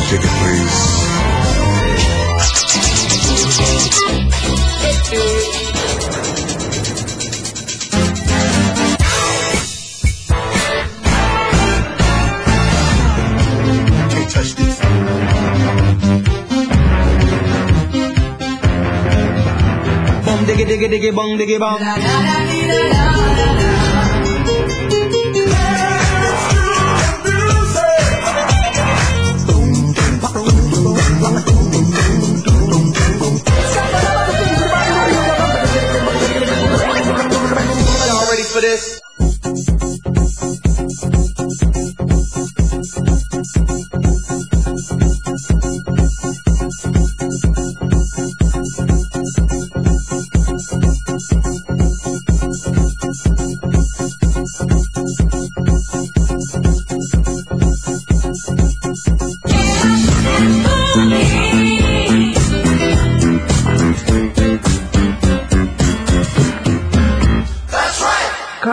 Ticket, please. Can't touch this. Bum diggy diggy diggy bum diggy bum. Y'all ready for this?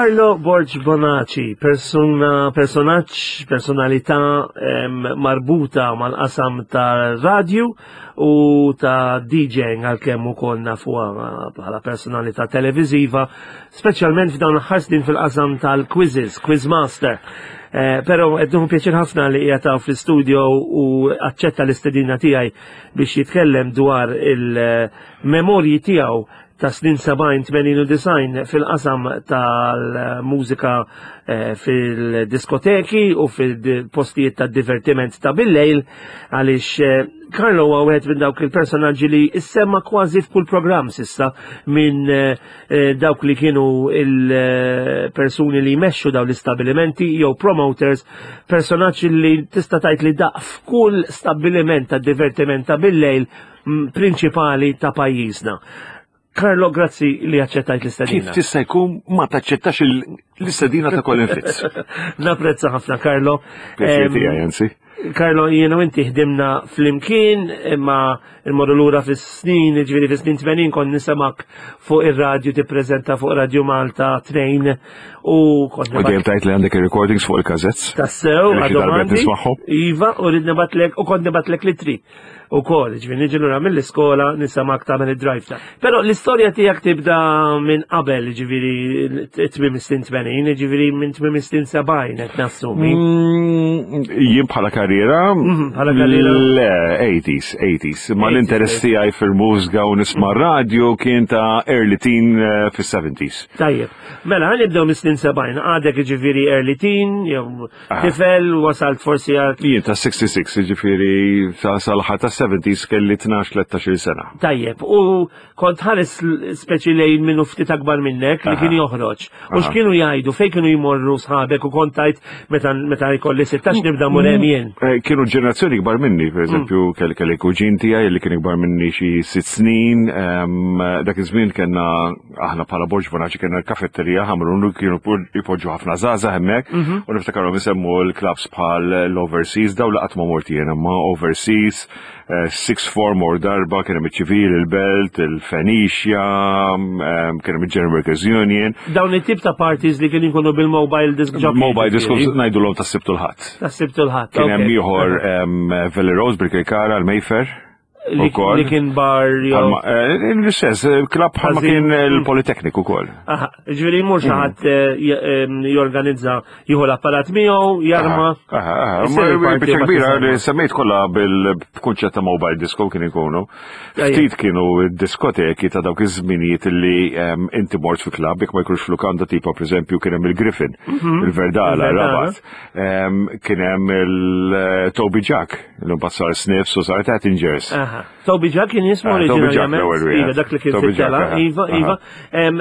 Carlo Borg Bonaci, persona, personaġġ, personalità em, marbuta mal-qasam ta' radju u ta' DJing għalkemm ukoll nafuha bħala personalità televiżiva, speċjalment f'dawn l-aħħar snin fil-qasam tal-quizzes, Quizmaster. Eh, Però qed nieħu pjaċir ħafna li qiegħed hawn fl-istudio u aċċetta l-istedina tiegħi biex jitkellem dwar il-memorji tiegħu ta' snin 70, 80 u 90 fil-qasam tal-mużika eh, fil-diskoteki u fil-postijiet ta' divertiment ta' bil-lejl għaliex eh, Carlo huwa wieħed minn dawk il-personaġġi li issemma kważi f'kull programm sissa minn eh, dawk li kienu il-persuni li jmexxu dawn l-istabilimenti jew promoters, personaġġi li tista' tgħid li daq f'kull stabbiliment ta' divertiment ta' bil-lejl mm, prinċipali ta' pajjiżna. Carlo, grazzi li aċċettajt l-istedina. Kif tista' jkun ma taċċettax l-istedina ta' Colin Fitz? Napprezza ħafna, Carlo. Pjaċir tiegħi, anzi. Carlo, jiena u inti ħdimna flimkien, imma immorru lura fis-snin, ġifieri fis-snin 80 kont nisemak fuq ir-radju tippreżenta fuq Radio Malta 2 u kont U dejjem tajt li għandek ir-recordings fuq il-kazetz. Tassew, Li xi għadhom darba qed għandi. nismagħhom. Iva, u rrid nibatlek, u kont nibatlek litri. U kol, ġifieri niġi lura mill-iskola nisamak tagħmel id-drive ta'. Però l-istorja tiegħek tibda minn qabel, ġifieri tmiem is-snin 80, ġifieri minn tmiem is-snin 70 qed nassumi. Mm, Jien bħala karriera. Mhm, bħala karriera. Le, 80s, 80s. Ma 80s, l-interess tiegħi fil-mużika u nisma' radio kien ta' early teen eh, fis-70s. Tajjeb. Mela, ħa nibdew mis-snin 70, għadek ġifieri early teen, jew Ah. tifel, wasalt forsi għal Jien ta' 66, ġifieri ta' sal-ħar ta' 70s kelli 12-13 sena. Tajjeb, u kont ħares speċi lejn minnu ftit akbar minnek li Aha. kien joħroġ. U Aha. x'kienu jgħidu, fejn kienu jmorru sħabek u kont tajt meta meta jkolli 16 nibda mur hemm jien. Eh, Kienu ġenerazzjoni kbar minni, per eżempju, kelli kelli kuġin tiegħi li kien ikbar minni xi sitt snin, em, dak iż-żmien kellna aħna bħala Borġ Bonaci kellna l-kafetterija ħamrun u kienu jpoġġu ħafna żgħażagħ hemmhekk mhm. u niftakarhom isemmu l-clubs bħal l-Overseas daw laqat ma mort jien imma Overseas, eh, Six Form or darba kien hemm iċ-ċivil, il-Belt, il-Fenicia, eh, kien hemm il-General Workers Union. Dawn it-tip ta' parties li kienu jkunu bil-mobile disc jockey. Mobile disc ngħidulhom tas-Sibt u l-Ħadd. Tas-Sibt u l-Ħadd. Kien hemm ieħor Valley Rose bil-Kirkara, l-Mayfair. Li kien bar jew. Eh, l-istess, eh, klab bħalma kien il-Politecnic ukoll. Aha, ġifieri mhux xi ħadd eh, jorganizza jieħu l-apparat miegħu, jarma. Aha, aha. Biċċa kbira li semmejt kollha bil-kunċett ta' mobile disco kien ikunu. Ftit kienu diskoteki ta' dawk iż-żminijiet li inti mort fi klab jekk ma jkunx f'lukanda tipo pereżempju kien hemm il-Griffin, mhm. il-Verdala, Rabat. Kien hemm il-Toby Jack. L-imbagħad sar Sniffs u sar Tattingers. Toby Jack kien jismu ah, oriġinarjament. Iva, dak li kien fit-tela. Iva, iva.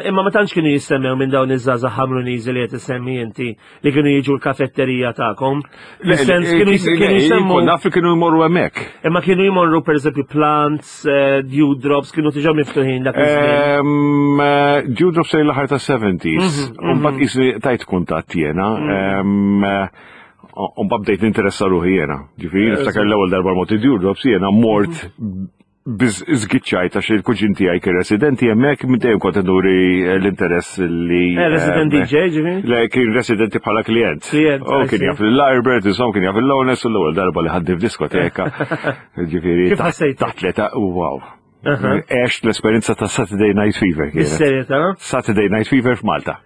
Imma ma tantx kienu jissemmew minn dawn iż-żgħażagħ ħamruniżi li qed issemmi inti li kienu jiġu l-kafetterija tagħkom. Fis-sens kienu jisemmu. Naf li kienu jmorru hemmhekk. Imma kienu jmorru pereżempju plants, eh, dewdrops kienu diġà miftuħin dak iż-żmien. Eh, dewdrops sejn l-aħħar tas-70s. Mhm, mhm. Mbagħad qisni tajt kuntatt jiena. Mhm. Umba bdejt ninteressa ruħi jena. Ġifieri niftakar l-ewwel darba mort id-Dewdrops jiena mort mhm. Biz zgiċċajt għax il-kuġin tiegħi kien residenti hemmhekk minn dejjem kont nuri l-interess li. Eh, resident DJ ġifieri? Le kien residenti bħala klient. Klient. U kien jaf l-Arbert, insomma kien jaf l-Lones u l-ewwel darba li ħaddi f'diskoteka. Ġifieri. Kif ħassejt? Taħt l-età, wow. Għext l-esperjenza ta' Saturday Night Fever. Bis-serjetà? Saturday Night Fever f'Malta.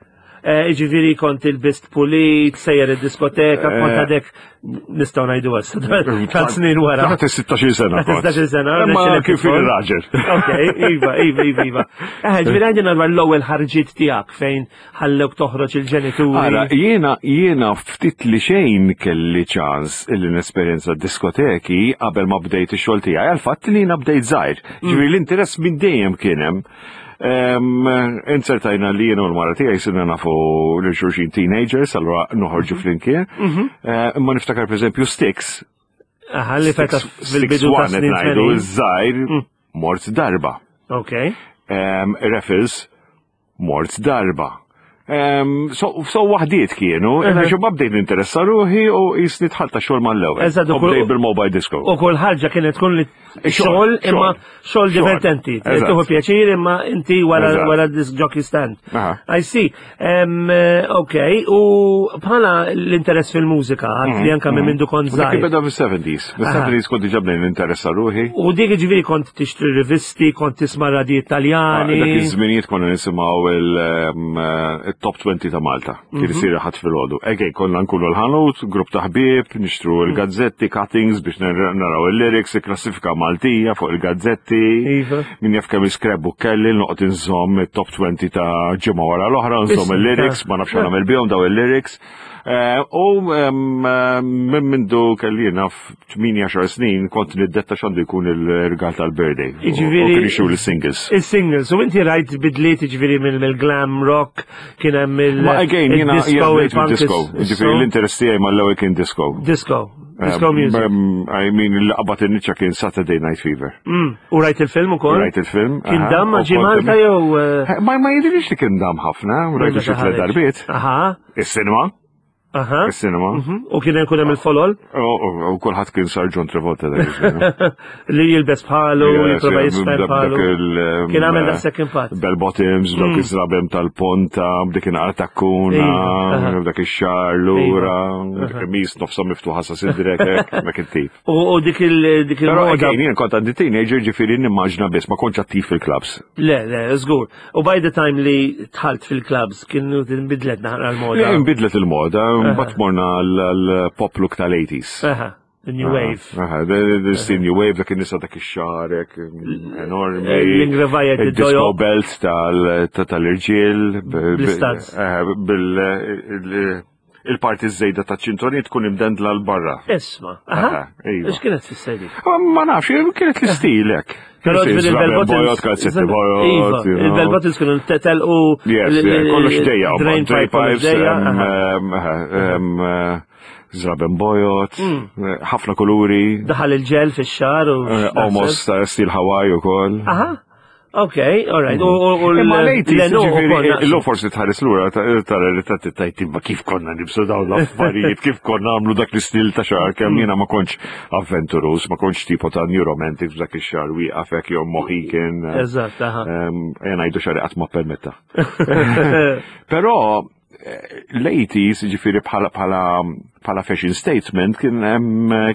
Eh, ġifiri kont il-bist pulit, sejjer il-diskoteka, kont eh. għadek nistaw najdu għas, tal snin wara. Taħt 16 sena. 16 sena. Ma kif il-raġel. Ok, iva, iva, iva, iva. Eh, ġifiri għandina dwar l-ewwel ħarġiet tiegħek fejn ħallewk toħroġ il-ġenituri. Ara, jiena jiena ftit li xejn kelli ċans illi nesperjenza diskoteki qabel ma bdejt ix-xogħol tiegħi għal fatt li jiena bdejt żgħir. Ġifieri l-interess minn dejjem kien hemm. Inzertajna li jiena u l-mara tiegħi sirna nafu lil xulxin teenagers, allura noħorġu mhm. flimkien. Mhm. Eh, imma niftakar pereżempju Sticks. Aha, li feta fil-bidu ta' snin ngħidu żgħir mm. mort darba. Ok. Raffles mort darba. So waħdiet kienu, imma xi bdejt ninteressa ruħi u jisni tħalta xogħol mal-ewwel. Eżatt, U bdejt bil-mobile disco. U kull ħaġa kienet tkun li xogħol imma xogħol divertenti. Tieħu pjaċir imma inti wara wara disc jockey stand. I see. Ok, u bħala l-interess fil-mużika, għad li anka minn mhm. mindu kont żgħir. Dik beda fis-70s. Fis-70s kont diġà bdejn ninteressa ruħi. U dik ġifieri kont tixtri rivisti, kont tisma' radji Italjani. Ah, dak iż-żminijiet konna nisimgħu il-top 20 ta' Malta. Kien mhm. isir ħadd filgħodu. Ejkej konna nkunu l-ħanut, grupp ta' ħbieb, nixtru mhm. l-gazzetti, cuttings biex naraw il-lyrics, il-klassifika Maltija fuq il-gazzetti. Iva. Min jaf kemm il-scrapbook kelli, noqgħod inżomm it-top 20 ta' ġimgħa wara l-oħra, nżomm il-lyrics, ma nafx nagħmel bihom daw il-lyrics. Eh, u minn mindu kelli naf 18 snin kont niddetta x'għandu jkun il-rigal tal-birthday. Jiġifieri. U kien ixu l-singles. Il-singles. U inti rajt bidliet jiġifieri mill-glam rock kien hemm il- Ma again jiena jiena disco. Jiġifieri l-interess tiegħi mal-ewwel kien disco. Disco. Disco music. I mean, l-qabad in-niċċa kien Saturday Night Fever. Mm. U rajt il-film ukoll? Rajt il-film. Kien dam ma ġie Malta jew? Eh, ma ma jidhirx li kien dam ħafna, rajtu xi tliet darbiet. Aha. Is-sinema. Aha. Is-sinema. Mhm. U kien hemm hemm il-folol? U kulħadd kien sar John Travolta dak Li jilbes bħalu, jipprova jisfer bħalu. Kien għamel daqshekk impatt. Bell bottoms, dawk mm. iż-żrabem tal-ponta, b'dik inqar takkuna, dak ix-xar lura, dik il-mis nofsa miftuħa sa sidrek, dak it-tip. U dik il dik il Però again, jien kont għandi teenager ġifieri nimmaġna biss ma kontx attiv fil-clubs. Le, le, żgur. U by the time li tħalt fil-clubs kienu tinbidlet naqra l-moda. Le, inbidlet il-moda, mbagħad morna l-pop look tal-80s. Aha. The New Wave. Aha, the New Wave, dak in-nisa dak ix-xarek enormi. L-ingrevajja disco belt tal-irġiel. Bl-istads. Bil il-parti żejda ta' ċintorin tkun imdendla l barra. Isma, aha. Iva. X'kienet tfisser dik? Ma nafx, kienet l-istil hekk. Però ġifieri il-bell buttons. Kalzetti bojot. Iva, il-bell buttons kienu telqu. Yes, kollox dejja. Drain pipes. Zraben bojot, mm. ħafna kuluri. Daħal il-ġel fix-xar u. Eh, almost eh, stil Hawaii ukoll. Aha. Ok, all right. U Imma l-80s, ġifieri, illum forsi tħares lura tara li ta' tajt imma kif konna nibsu dawn l-affarijiet, kif konna għamlu dak l-istil ta' xahar, kemm mm. jiena ma kontx avventurus, ma kontx tipo ta' new romantics dak ix-xahar wieqaf hekk jew Mohican. Eżatt, aha. Ejja ngħidu xahar qatt ma permetta. Però l-80s, ġifiri bħala bħala bħala fashion statement kien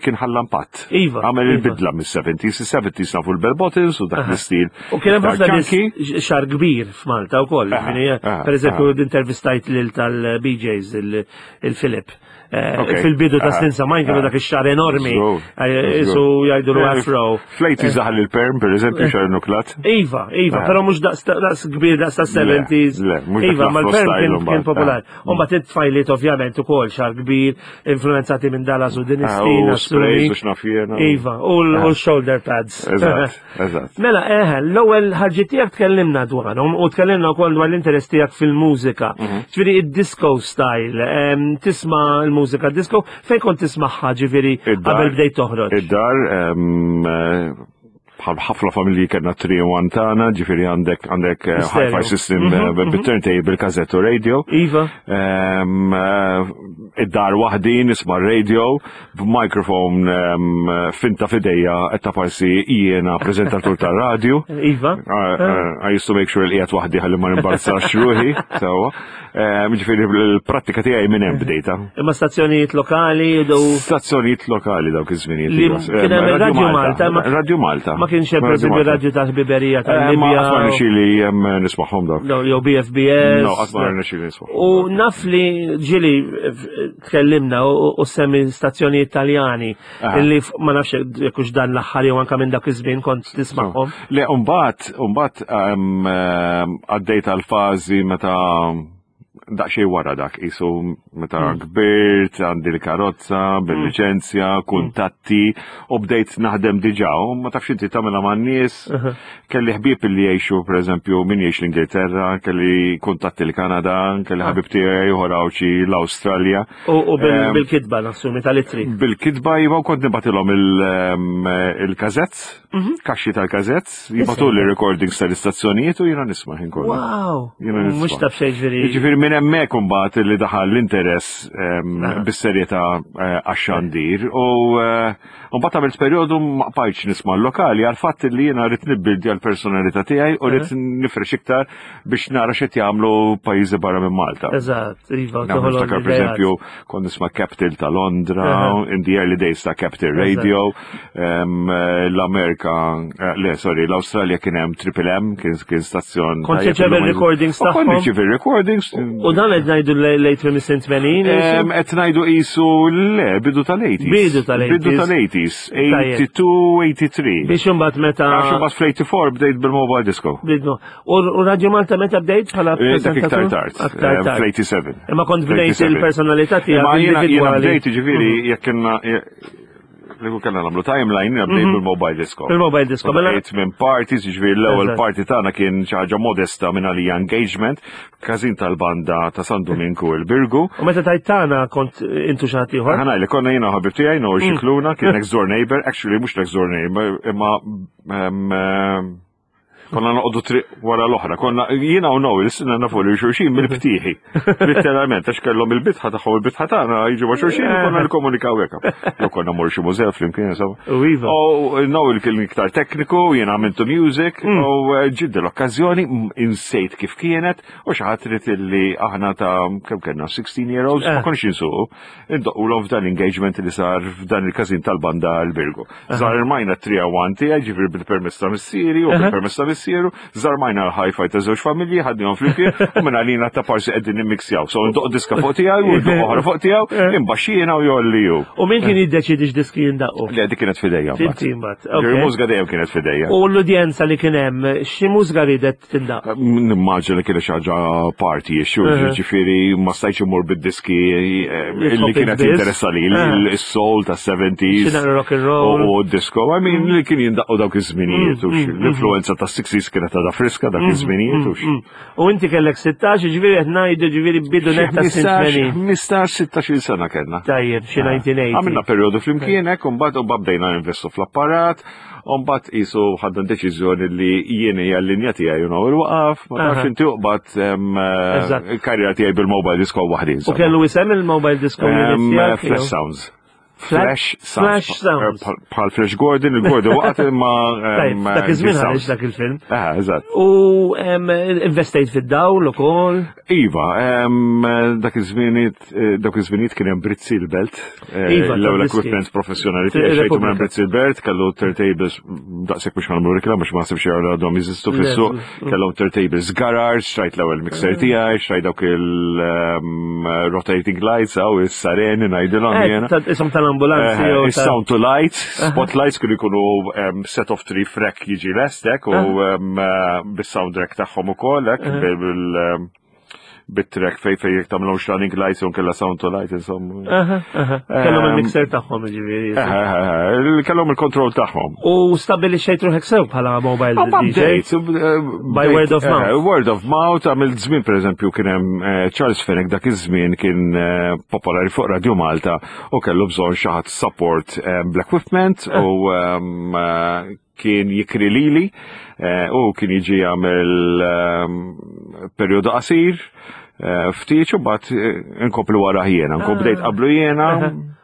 kien ħalla impatt. Iva. Għamel iva. il-bidla mis-70s, is-70s nafu l-bell bottles u dak l-istil. U kien hemm ħafna nies xar kbir f'Malta wkoll. Per eżempju, intervistajt lil tal-BJs il-Filip. Eh, fil-bidu ta' snin samajn kienu dak ix-xar enormi. Eh, isu jgħidu l afro. Flejti eh. zaħal il-perm, per eżempju, xar nuklat. Iva, iva, però mhux daqs kbir daqs ta' 70s. Iva, ma l-perm kien popolari. U mbagħad it-tfajliet ovvjament ukoll xar kbir, influenzati minn Dallas u din is-stina. Iva, u l-shoulder pads. Eżatt. Mela, eħe, l-ewwel ħarġiet tiegħek tkellimna dwarhom u tkellimna wkoll dwar l-interess tiegħek fil-mużika. Mhm. Ġifieri id-disco style, tisma' l-mużika disco, fejn kont tismagħha ġifieri qabel bdejt toħroġ? Id-dar eh, Bħal ħafna familji kellna 3-1 tagħna, ġifieri għandek għandek eh, hi-fi system mhm, eh, mhm. bit-turntable, kazettu radio. Iva. Ehm, eh, id-dar waħdi nisma' radio b'mikrofon ehm, finta fidejja qed ta' parsi jiena preżentatur tar-radio. Iva. I used to make sure li qiegħed waħdi ħalli ma nimbarzax ruħi, sewwa. Ehm, ġifieri l-prattika tiegħi minn hemm bdejta. Imma stazzjonijiet lokali u Stazzjonijiet lokali dawk iż-żminijiet. Iva. Kien hemm Radio Malta. Radio Malta. Ma kienx hemm pereżempju radio ta' ħbiberija ta' eh, Libja. Ma qatt ma nixili hemm nismagħhom dawk. Jew BFBS. No, qatt ma nixili nismagħhom. U naf li ġieli eh, tkellimna u semmi stazzjonijiet Taljani illi ma nafx jekk hux dan l-aħħar jew anke minn dak iż-żmien kont tismagħhom. Le, mbagħad mbagħad għaddejt għal fażi meta daqsxejn wara dak isu meta hmm. kbirt, għandi l-karozza, bil-liċenzja, hmm. kuntatti u bdejt naħdem diġà u ma tafx inti tagħmilha man-nies. Kelli ħbieb li jgħixu pereżempju min jgħix l-Ingilterra, kelli kuntatti l-Kanada, kelli ah. ħabib tiegħi ieħor l-Awstralja. U bil-kitba nassumi tal-ittri. Bil-kitba jiva u kont nibatilhom il-kazezz, mhm. kaxxi tal-kazezz, jibatu li recordings tal-istazzjonijiet u jiena nisma' ħin kollu. Wow! Mhux taf xejn ġifieri. Ġifieri minn hemmhekk imbagħad li daħal l-interess bis-serjetà eh, għax-xandir u eh, mbagħad għamilt perjodu ma qbajtx nisma' l-lokali għal fatt li jiena rrid nibbildja l-personalità tiegħi u rrid nifrex iktar biex nara x'qed jagħmlu pajjiżi barra minn Malta. Eżatt, iva. Niftakar pereżempju kont nisma' Capital ta' Londra, in the early days ta' Capital Radio, l-Amerika, eh, le, sorry, l-Awstralja kien hemm Triple M, kien stazzjon. Kont tirċevi recordings tagħhom. Kont nirċievi recordings. U dan qed ngħidu late 80? Qed ngħidu qisu le, bidu tal-80s. Bidu tal-80s. Bidu tal-80s. 82, 83. Biex imbagħad meta. Għax imbagħad fl-84 bdejt bil-mobile disco. Bidnu. U Radio Malta meta bdejt bħala eh, Dak iktar tard. Aktar eh, tard. Fl-87. Imma kont bdejt il-personalità tiegħek. Imma jiena bdejt ġifieri mhm. jekk kienna li kellna nagħmlu timeline jiena bdejt mhm. bil-mobile disco. Bil-mobile disco. Mela bdejt minn parties, ġifieri l-ewwel party tagħna kien xi ħaġa modesta minn għalija engagement, każin tal-banda ta' San Dominku il-Birgu. U meta tajt tagħna kont intu xi ħadd ieħor? Ħana li konna jiena ħabib tiegħi Noel mm. Xikluna kien next door neighbor, actually mhux next door neighbor, imma Konna noqogħdu triq wara l-oħra. Konna jiena u Noel sinna nafu li xulxin mill-btieħi. Literalment, għax kellhom il-bitħa tagħhom il-bitħa tagħna jiġu ma' xulxin u konna nikkomunikaw hekk. Jew konna mmorru xi mużew flimkien insomma. U iva. U Noel kien iktar tekniku, jiena għamiltu music, mm. u eh, ġiddi l-okkażjoni insejt kif kienet u xi ħadd trid illi aħna ta' kemm kellna 16 year olds ma eh. konniex insuqu, indoqqulhom f'dan l-engagement li sar f'dan il-każin tal-banda l-Birgu. Zarmajna t-301 tiegħi, ġifieri bil-permess ta' missieri u bil-permess ta' missieru, zarmajna l-hi-fi ta' żewġ familji, ħadnihom flimkien u minn għalina ta' parsi qegħdin nimmixjaw. So ndoq diska fuq tiegħi u ndoq oħra fuq tiegħu, imbaxxina u jolli ju. U min kien jiddeċidi x'diski jindaqqu? Le, dik kienet fidejja. Inti mbagħad. Il-mużika dejjem kienet fidejja. U l-udjenza li kien hemm, xi mużika ridet tindaq? Nimmaġina li kienet xi ħaġa party issue, ġifieri ma stajtx immur bid-diski eh, li kienet jinteressa li il-soul ta' 70s. Rock and roll. U disco, I mean, li kien jindaqqu dawk iż-żminijiet u mm, mm, l-influenza ta' 60s kienet għadha friska dak mm, iż-żminijiet u U inti kellek 16, ġifieri qed ngħidu ġifieri bidu netta 15, 16 sena kellna. Tajjeb, xi 1980. Ah. Għamilna perjodu flimkien hekk u mbagħad u bdejna investu fl-apparat, u mbagħad qisu ħadna deċiżjoni li jien hija l-linja tiegħi u il-waqaf, ma tafx inti uqbad il-karriera tiegħi bil-mobile disco waħdi. U kellu isem il-mobile disco Flash Sounds. Flash Sounds. Flash Sounds. Eh, bħal Flash Gordon, il-Gordon waqt imma. Dak iż-żmien ħareġ dak il-film. Eh, eżatt. U investejt fid-dawl ukoll. Iva, dak iż-żminiet eh, dak iż-żminiet kien hemm Brizzi l-Belt. Iva, l-ewwel equipment professjonali tiegħi xejtu minn Brizzi l-Belt, kellu turntables daqshekk mhux ħanamlu reklam biex ma ħsibx għadhom jeżistu fis-suq, kellhom turntables garage, xtrajt l-ewwel mixer tiegħi, xtrajt dawk il-rotating lights għaw is-sareni ngħidilhom eh, jiena. Isom tal-ambulanzi. Eh, is-sound to lights, spotlights kienu jkunu set of three frek jiġi lestek u bis-sound rack tagħhom ukoll hekk bil bit-track fej fej jek tamlhom running lights u kella sound to light insomma. Kellhom il-mixer tagħhom ġifieri. Kellhom il-kontroll tagħhom. U stabbilixxejt ruħek sew bħala mobile DJ. Eh, By word of mouth. Eh, word of mouth għamil żmien pereżempju kien hemm eh, Charles Fenech dak iż-żmien kien popolari fuq Radio Malta u kellu bżonn xi ħadd support bl-equipment u ehm, kien jikri lili eh, u kien jiġi jagħmel ehm, perjodu qasir eh, ftit u bat eh, nkomplu wara jiena, nkun bdejt ah. qablu jiena.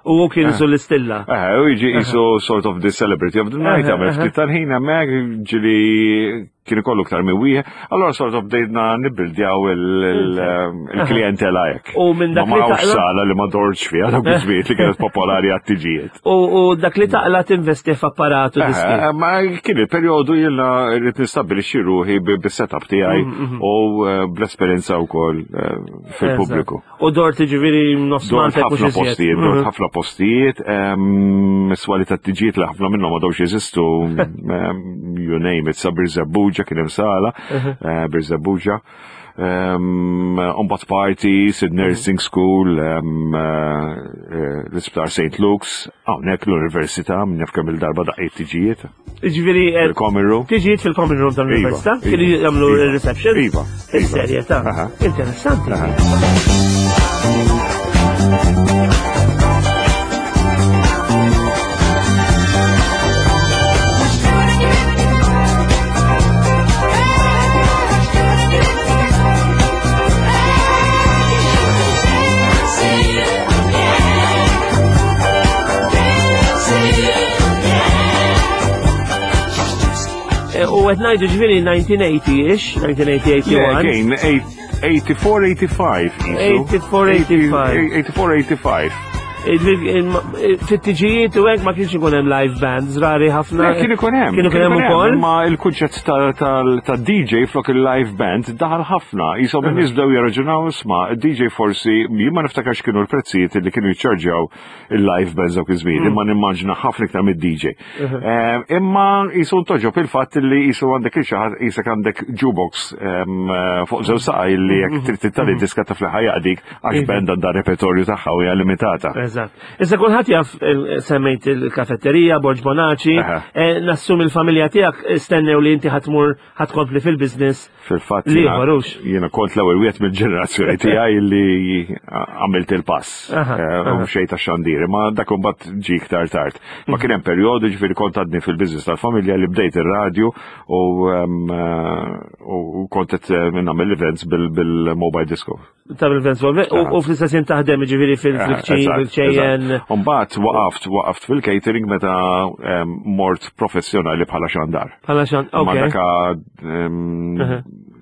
U hu kien isu l-istilla. Eh, u jiġi isu sort of the celebrity of the night, għamel ftit tal-ħin hemmhekk ġili kien ikollu iktar minn wieħed, allora sort of bdejna nibbildjaw il-klientela hekk. U minn dak li taqla. sala li ma dorġ fiha dak iż-żmien li kienet popolari għat-tiġijiet. U dak li taqla tinvesti f'apparatu eh, diski. Eh, ma kien il-perjodu jiena rrid nistabbilixxi ruħi bis-setup tiegħi mm, mm, mm. u eh, bl-esperjenza wkoll fil-pubbliku. U dort ġifieri nofs Malta ħafna postijiet, dort mhm. ħafna postijiet, swali ta' tiġijiet li ħafna minnhom għadhomx jeżistu, you name it, sa Birżebbuġa kien hemm sala, mhm. eh, Birżebbuġa. Umbat party, Sid mhm. Nursing School, eh, eh, l-Isptar St. Luke's, hawnhekk l-Università, minn jaf kemm il-darba daqqiet tiġijiet. Ġifieri eh, fil-common room. Tiġijiet fil-common room tal-università, iva, kienu iva, jagħmlu iva, il-reception. Iva. Is-serjetà. Interessanti. Eh, u għed najdu ġviri 1980-ish, 1980-81. Yeah, again, 84-85. 84-85. 84-85. Fit-tiġijiet u hekk ma kienx ikun hemm live bands, rari ħafna. Kien ikun hemm. Kien ikun hemm ukoll. Ma il-kunċett ta' DJ flok il-live band daħal ħafna. Jisom in-nies bdew jirraġunaw isma' DJ forsi jien ma niftakarx kienu l-prezzijiet li kienu jiċċarġjaw il-live bands dawk iż-żmien, mm. imma nimmaġna ħafna iktar mid-DJ. Eh, imma jisu toġob il-fatt li jisu għandek il-xaħat jisek għandek jukebox eh, fuq żew saqaj li jekk mm-hmm. trid tittali mm-hmm. diska ta' fl jaqdik għax iva. band għandha repertorju tagħha u hija limitata. Eżatt. Issa kulħadd jaf eh, semmejt il-kafetterija, Borġ Bonaci, nassum il-familja tiegħek stennew li inti ħatmur ħatkompli fil-biznis. Fil-fatt jiena kont l-ewwel wieħed mill-ġenerazzjoni tiegħi li għamilt il-pass eh, u xejn ta' xandir, ma dak imbagħad ġie iktar tard. Ma mhm. kien hemm perjodu ġifieri kont għadni fil-business tal-familja li bdejt ir-radju u eh, kont qed eh, nagħmel events bil-mobile disco. Ta' bil-events u fl-istess jien taħdem ġifieri fil-ċejjen. Umbagħad waqaft waqaft fil-catering meta mort professjonali bħala xandar. Bħala xandar. Ma daka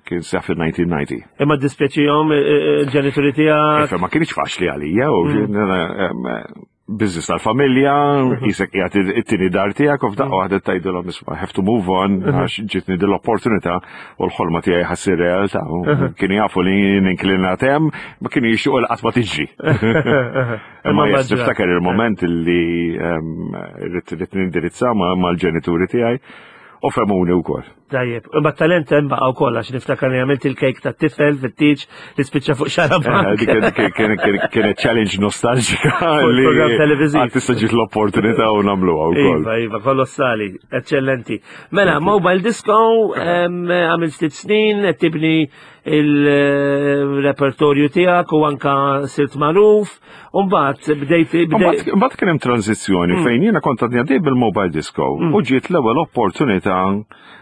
kien seħ fil-1990. Imma dispjaċihom eh, eh, il-ġenituri tiegħek. Ma kienx faċli għalija u mm. Business tal-familja, mhm. jisek qiegħed it-tieni dar tiegħek u f'daqqa mhm. waħda tgħidilhom isma' have to move on mhm. għax ġitni din l-opportunità u l-ħolma tiegħi ħassir realtà. Kienu jafu li ninklinat hemm, ma kienu jixtiequ li qatt ma tiġri. Imma jes niftakar il-moment li ehm, rrid nindirizza mal-ġenituri tiegħi u femuni wkoll. Tajjeb, imma talent hemm baqa' wkoll għax niftakar li għamilt il-kejk ta' tifel fit-tieġ li spiċċa fuq xara eh, Kienet challenge nostalġika li program televiżiv. Għad tista' ġiet l-opportunità u nagħmluha wkoll. Iva, iva, kolossali, eċċellenti. Mela, Mobile Disco għamilt ftit snin qed tibni il-repertorju tiegħek u anka sirt magħruf. U mbagħad bdejt Mbagħad kien hemm tranzizzjoni mm. fejn jiena kont għadni għaddej bil-mobile disco mm. u ġiet l-ewwel opportunità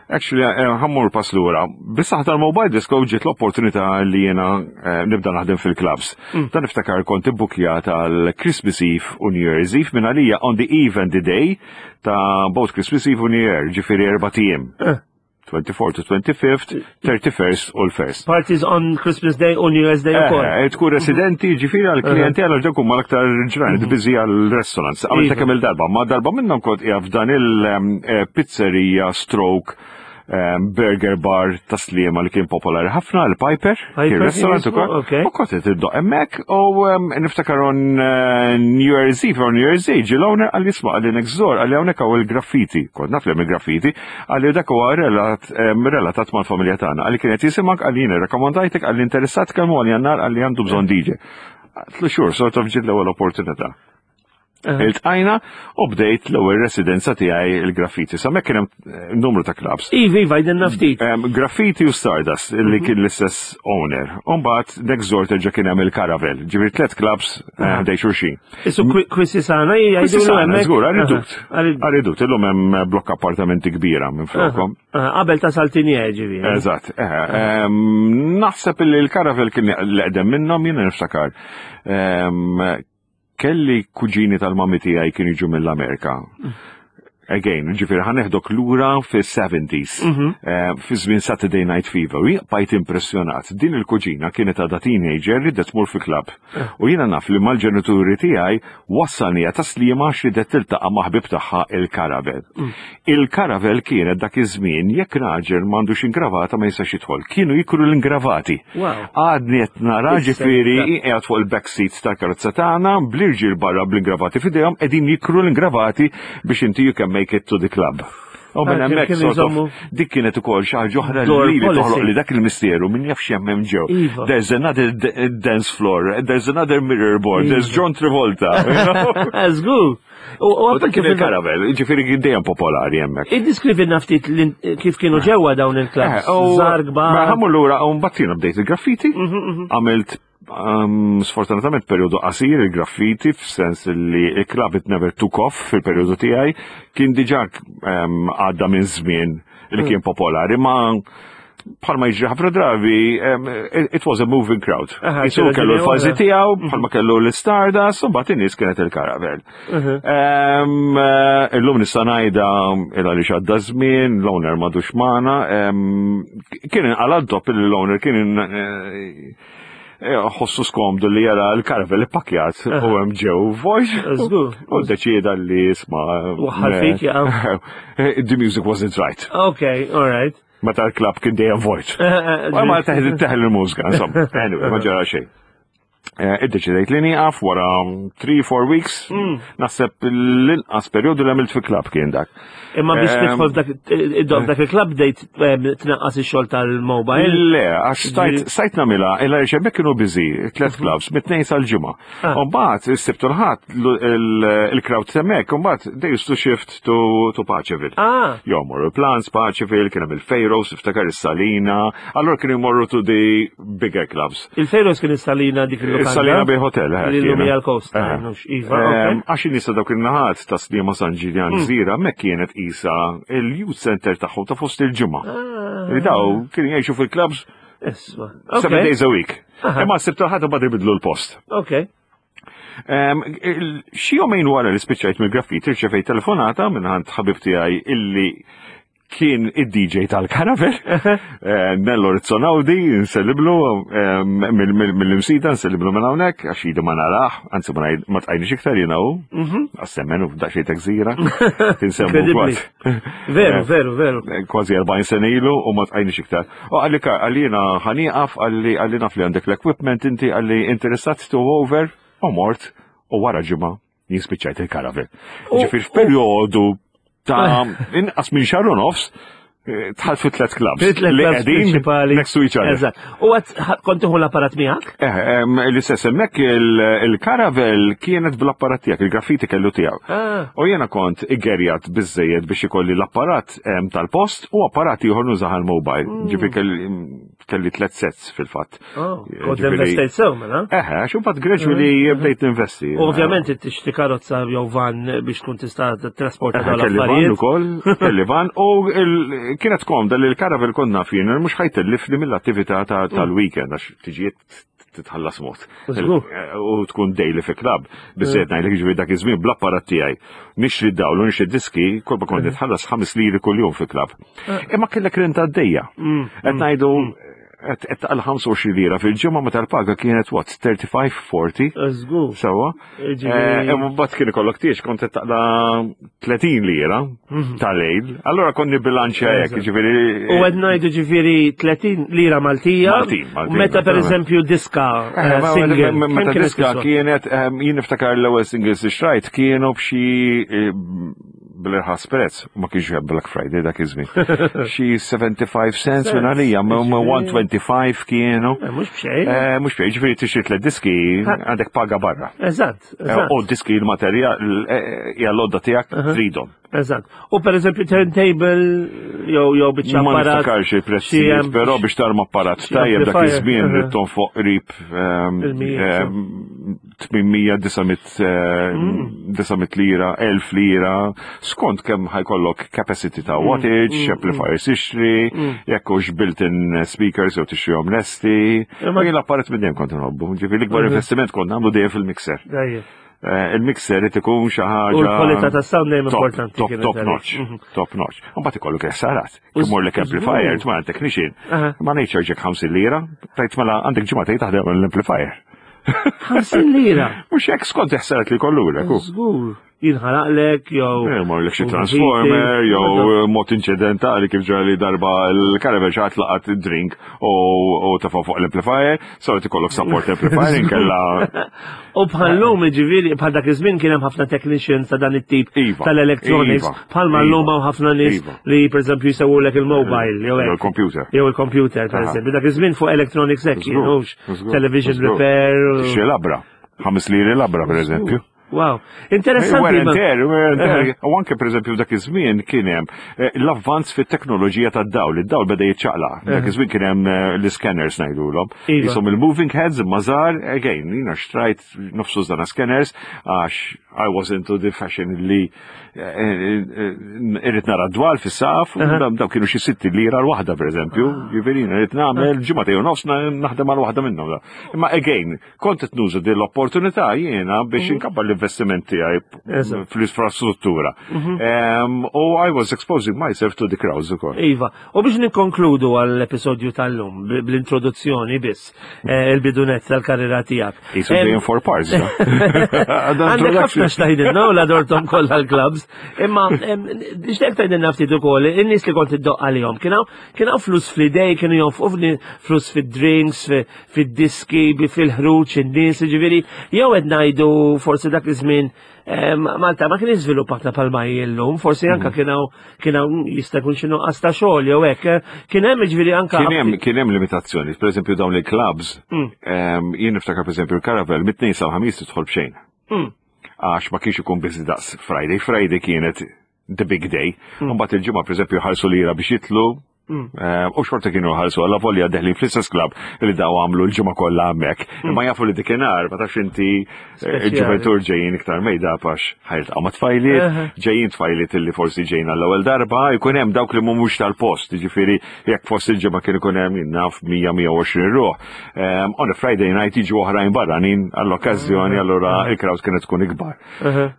Actually, eh, ħammur pass lura. Biss tal-mobile disco ġiet l-opportunità li jiena eh, nibda naħdem fil-clubs. Mm. Dan niftakar kont ibbukjat għal Christmas Eve u New Year's Eve minn għalija on the eve and the day ta' both Christmas Eve u New Year, ġifieri erba' tiem. Eh. 24 to 25th, 31st u l-1st. Parties on Christmas Day u New Year's Day ukoll. Eh, tkun residenti ġifieri għal klijenti għal ġew huma l-aktar ġranet mhm. biżi għal restaurants. Għamilta iva. kemm il-darba, ma darba minnhom kont qiegħed f'dan il-pizzerija eh, stroke eh, burger bar ta' Sliema li kien popolari ħafna, il-Piper, kien restaurant ukoll. U kont qed iddoq hemmhekk u niftakar on New Year's Eve, on New Year's Eve, ġie l-owner għal jisma' għalli next door għalli hawnhekk hawn il-graffiti. Kont naf li hemm il-graffiti, Għalli dak huwa relatat mal-familja tagħna. Għalli kienet jisimak għalli jien irrakkomandajtek għalli interessat kemm għal jannar għalli għandu bżonn DJ. Tlu xhur sort of ġiet l-ewwel opportunità. Iltqajna u bdejt l-ewwel residenza tiegħi il-graffiti. Sa kien hemm eh, numru ta' clubs. Iva, iva, jdenna ftit. Graffiti u Stardust li mhm. kien l-istess owner. U mbagħad next door terġa' kien hemm il-Caravel. Ġifieri tliet clubs eh, ħdej xulxin. Isu Kwisisana jgħidu hemmhekk. Żgur, għaridut. Għaridut, illum hemm blokk appartamenti kbira minn flokom. Qabel ta' Saltinier ġifieri. Eżatt. Eh, naħseb li l-Caravel kien l-eqdem minnhom jiena niftakar. Kelli kuġini tal-mami tiegħi kienu jiġu mill-Amerika. Again, ġifieri ħa neħdok lura fis-70s, mhm. eh, fi żmien Saturday Night Fever, u bqajt impressjonat. Din il-kuġina kienet għadha teenager li tmur fi club. Eh. U jiena naf li mal-ġenituri tiegħi wassalnija ta' slima xi tiltaqa' ma' ħbib tagħha il-Karavel. Mm. Il-Karavel kienet dak iż-żmien jekk raġel m'għandux ingravata ma jistax jidħol. Kienu jikru l-ingravati. Għadni qed nara ġifieri qiegħed fuq il-back seat tal-karozza tagħna bl-irġiel barra bl-ingravati f'idejhom qegħdin jikru l-ingravati biex inti you can make it to the club. U minn ah, hemmhekk sort of dik kienet ukoll xi ħaġa oħra li li toħloq li dak il-misteru min jaf x'hemm hemm ġew. Iva. There's another dance floor, there's another mirror board, there's iva. John Travolta. Żgur. U dak kien il-karavel, ġifieri dejjem popolari hemmhekk. Iddiskrivilna ftit kif kienu ġewwa dawn il-klabs. Eh, Żgħar kbar. Mela ħammur lura u mbagħad jiena bdejt il-graffiti, mhm, mhm. għamilt um, sfortunatament periodu qasir il-graffiti f'sens li il-club it never took off fil-periodu tiegħi kien diġà um, għadda minn żmien li mm. kien popolari ma bħalma jiġri ħafna drabi, it was a moving crowd. Jisu kellu l-fazi tiegħu, mhm. bħalma kellu l-Stardust, u mbagħad in-nies kienet il-Caravel. Mhm. Eh, illum nista' ngħidha il għaliex għadda żmien, l-owner m'għadux magħna, kien inqala dopp li l-owner kien eh, eh, ħossu skomdu li jara l-Caravel ippakjat u hemm ġew vojt. U deċieda li isma' Waħħal fik, The music wasn't right. Okay, all right. Meta l-klab kien dejjem vojt. U ma teħel teħel il-mużika, insomma. Anyway, ma ġara xejn. Eh, iddeċidejt li nieqaf wara 3-4 weeks, mm. naħseb l-inqas perjodu li għamilt fi klab kien dak. Imma biex ehm, tidħol dak dak il-klab bdejt ehm, tnaqqas ix-xogħol tal-mobile. Le, għax stajt nagħmilha illa għaliex hemmhekk kienu busy, tliet mhm. clubs, mit-tnejn sal-ġimgħa. Ah. U mbagħad is-Sibt u l-Ħadd il-crowd hemmhekk, u mbagħad they used to shift to, to Paceville. Ah. Jo, morru Plans, Paceville, kien hemm il-Fejros, iftakar is-Salina, allora kienu jmorru to the bigger clubs. Il-Fejros kien is-Salina dik il-lokanda. Is-Salina Bay Hotel, eh. Li l-lum hija l-coast. Eh. Iva, Għax in-nies dawk in-naħat ta' Sliema San Ġiljan hmm. Żira hemmhekk kienet isa il-youth center tagħhom ta' fost il-ġimgħa. Ah. Li daw kienu jgħixu fil-clubs Isma. Seven days a week. Imma s-sibt ħadd bad ibidlu l-post. Ok. Xi jomejn wara li spiċċajt mill-graffiti rċevejt telefonata minn ħand ħabib tiegħi illi kien id-DJ tal-Karavel, eh, Nello Rizzonaudi, nselliblu eh, mill-imsida, nselliblu minn hawnhekk, għax idu ma narax, anzi ma tqajniex iktar jiena hu, mhm. għas-semmen u f'daqsxejn ta' gżira, tinsemmu kważi. Veru, eh, veru, veru. Kważi 40 sena ilu u ma tqajniex iktar. U għalli għalli jena ħaniqaf, għalli għalli naf li għandek l-equipment, inti għalli interessat to over, u mort, u wara ġimgħa jispiċċajt il-karavel. Ġifir f'perjodu ta' inqas minn xahar u nofs, eh, tħalt fi tlet clubs. Li qegħdin next to each other. Eżatt. U għad kont tieħu l-apparat miegħek? Eh, l-istess hemmhekk il-karavel kienet bl-apparat tiegħek, il-graffiti kellu tiegħu. Ah. U jiena kont iggerjat biżejjed biex ikolli l-apparat tal-post u apparat ieħor nużaha l-mobile. Mm. Ġifi kelli tlet sets fil-fatt. Oh, kont investejt sew mela? Eħe, għax imbagħad gradually mm. bdejt investi. Ovvjament tixtri karozza jew van biex tkun tista' trasporta dawn Kelli van ukoll, kelli van u kienet komda li l-karavel kont naf jien mhux ħajtellifni mill-attività mm. tal-weekend għax tiġiet titħallas mod. U tkun daily fi klab. Bizzejt ngħidlek ġifieri dak iż-żmien bl-apparat tiegħi. Nixtri d-dawl u nixtri diski, kolba kont nitħallas 5 liri kuljum fi klab. Eh. Imma kellek renta għaddejja. Mm, Qed mm, ngħidu mm. qed taqal 25 lira fil-ġimgħa meta l-paga kienet what 35 40. Żgur. Sewwa. Eh, imma mbagħad kien ikollok tiex kont qed taqla 30 lira mhm. tal-lejl. Allura konni bilanċja hekk, ġifieri. U qed ngħidu ġifieri 30 lira Maltija. Maltin, Meta pereżempju diska eh, eh, single. Meta diska kienet jien niftakar l-ewwel singles li xrajt kienu b'xi. bil-irħas prezz, ma kienx hemm Black Friday dak iż-żmien. Xi 75 cents minn għalija, 125 kienu. Eh, mhux b'xejn. Eh, mhux b'xejn, ġifieri tixtri tliet diski għandek paga barra. Eżatt. Eh, u diski l-materjal hija l-għodda tiegħek tridhom. Eżatt. U per eżempju turntable jew jew biċċa Ma niftakarx il-prezzijiet, però biex tarma apparat tajjeb dak iż-żmien rid tonfoq qrib 800 900 lira, 1000 lira, skont kemm ħajkollok capacity ta' mm, wattage, mm, amplifiers mm. ixtri, jekk hux built-in speakers jew tixtrihom lesti. Ma jien l-apparat minn dejjem kont nħobbu, ġifieri l-ikbar investiment kont nagħmlu dejjem fil-mixer. Eh, il-mixer irid ikun xi ħaġa. U l-kwalità tas-sound dejjem importanti. Top, top notch, mhm. top notch. U mbagħad ikollok ħsarat. Imur lek amplifier, tma' technician. Ma ngħidx ġek 50 lira, tajt mela għandek ġimgħa taħdem l-amplifier. 50 lira. Mhux hekk skont ħsarat li kollu lek. Żgur jinħaraqlek jew. Eh, morlek xi transformer jew eh, mod inċidentali kif ġara li darba l-caravan xi ħadd laqat drink u tafa' fuq l-amplifier, so qed ikollok support amplifier inkella. U bħal-lum ġifieri bħal dak iż-żmien kien hemm ħafna technicians ta' dan it-tip iva, tal-electronics, iva, bħalma iva, llum hawn ħafna nies li pereżempju jsewwulek il-mobile jew il-computer. Jew il-computer pereżempju. Dak iż-żmien fuq electronics hekk television repair. Xi labra, ħames liri labra pereżempju. Wow, interessanti. Wear and tear, wear and tear. U anke pereżempju dak iż-żmien kien hemm eh, l-avvanz fit-teknoloġija tad-dawl, id-dawl beda jiċċaqlaq. Dak iż-żmien kien hemm eh, l-scanners ngħidulhom. Iva. Isom il-moving heads imma żgħar, again, jiena xtrajt nofsu żdana scanners għax I was into the fashion li eh, irrid nara dwal fis-saqaf, daw kienu xi sitti lira l-waħda pereżempju, ah. jiġifieri irrid nagħmel ġimgħa jew nofs naħdem għal waħda minnhom. Imma again, Kont qed nuża din l-opportunità jiena biex mhm. inkabbar l-investiment tiegħi fl-infrastruttura. Mhm. U I was exposing myself to the crowds ukoll. Iva, u biex nikkonkludu għall-episodju tal-lum bl-introduzzjoni biss eh, il-bidunet tal-karriera tiegħek. Isu dejjem four parts. Għandek ħafna xtajdilna u l-adortom kollha l-clubs. Imma nixtieq tgħidilna ftit ukoll in-nies li kont iddoqq għalihom kien hawn flus fl-idej, kienu jonfqu flus fid-drinks, fid-diski, fil-ħruġ, in-nies, ġifieri, jew qed ngħidu forsi dak iż-żmien eh, Malta ma kien iżviluppata palma llum, forsi anka mm. kien hawn kien hawn jista' jkun xi nuqqas ta' xogħol jew hekk. Eh, kien hemm ġifieri anka Kien hemm kien hemm limitazzjoni, pereżempju dawn il-clubs, mm. jien niftakar pereżempju l-Caravel mit-tnejn sal-ħamis tidħol b'xejn. Mm. Għax ma kienx ikun biżi daqs Friday, Friday kienet the big day. Mbagħad il-ġimgħa pereżempju ħarsu lira biex jitlu. Mm. Eh, u xorta kienu ħarsu għalla volja deħlin fl-istess klab li daw għamlu l-ġimgħa kollha hemmhekk. Mm. Imma jafu li dikinhar ma tafx inti eh, il-ġuventur ġejjin iktar mejda għax ħajltaqgħu ma' tfajliet, ġejjin tfajliet illi forsi ġejjin għall-ewwel darba, jkun hemm dawk li mhumiex tal-post, jiġifieri jekk fost il-ġimgħa kien ikun hemm naf 100-120 ruħ. Eh, on a Friday night jiġu oħrajn barranin għall-okkażjoni allura il-crowd kienet tkun ikbar.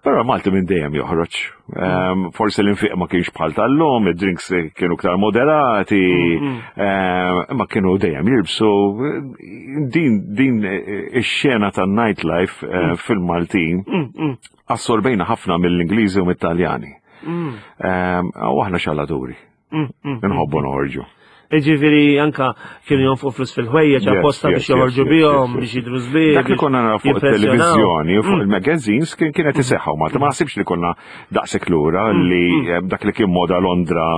Però Malti minn dejjem joħroġ. Ehm, forsi l-infiq ma kienx bħal tal-lum, id-drinks kienu iktar moderati, mm-hmm. ehm, imma kienu dejjem jirbsu. Din din ix-xena tan-nightlife eh, mm. fil-Maltin mm, assorbejna ħafna mill-Ingliżi u mit-Taljani. Mm. Ehm, u aħna xalaturi. Mm, mm, mm. Nħobbu noħorġu. Iġifiri anka kienu jonfqu flus fil-ħwejjeġ apposta biex joħorġu bihom biex jidru żbieħ. Dak li konna naraw fuq il-televiżjoni u fuq il-magazines kien kienet iseħħu Malta. Ma naħsibx li konna daqshekk lura li eh, dak li kien moda Londra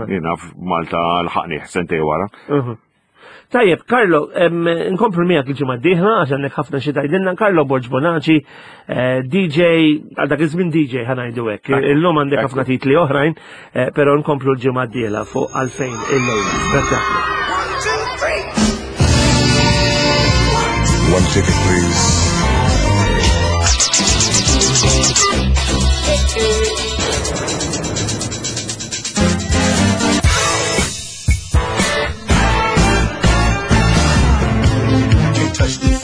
jiena f'Malta l-ħaqni sentej wara. Uh-huh. Tajjeb, Carlo, nkomplu miegħek il-ġimgħa d-dieħla għax għandek ħafna xi tgħidilna. Carlo Borg Bonaci, eh, DJ, għal dak iż-żmien DJ ħanajdu hekk. Illum għandek ħafna titli oħrajn, eh, però nkomplu l-ġimgħa d-dieħla fuq għalfejn il-lejla. Grazzi ħafna. One ticket, please. Can't touch this.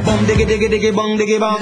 Bum diggy diggy diggy bong diggy bong.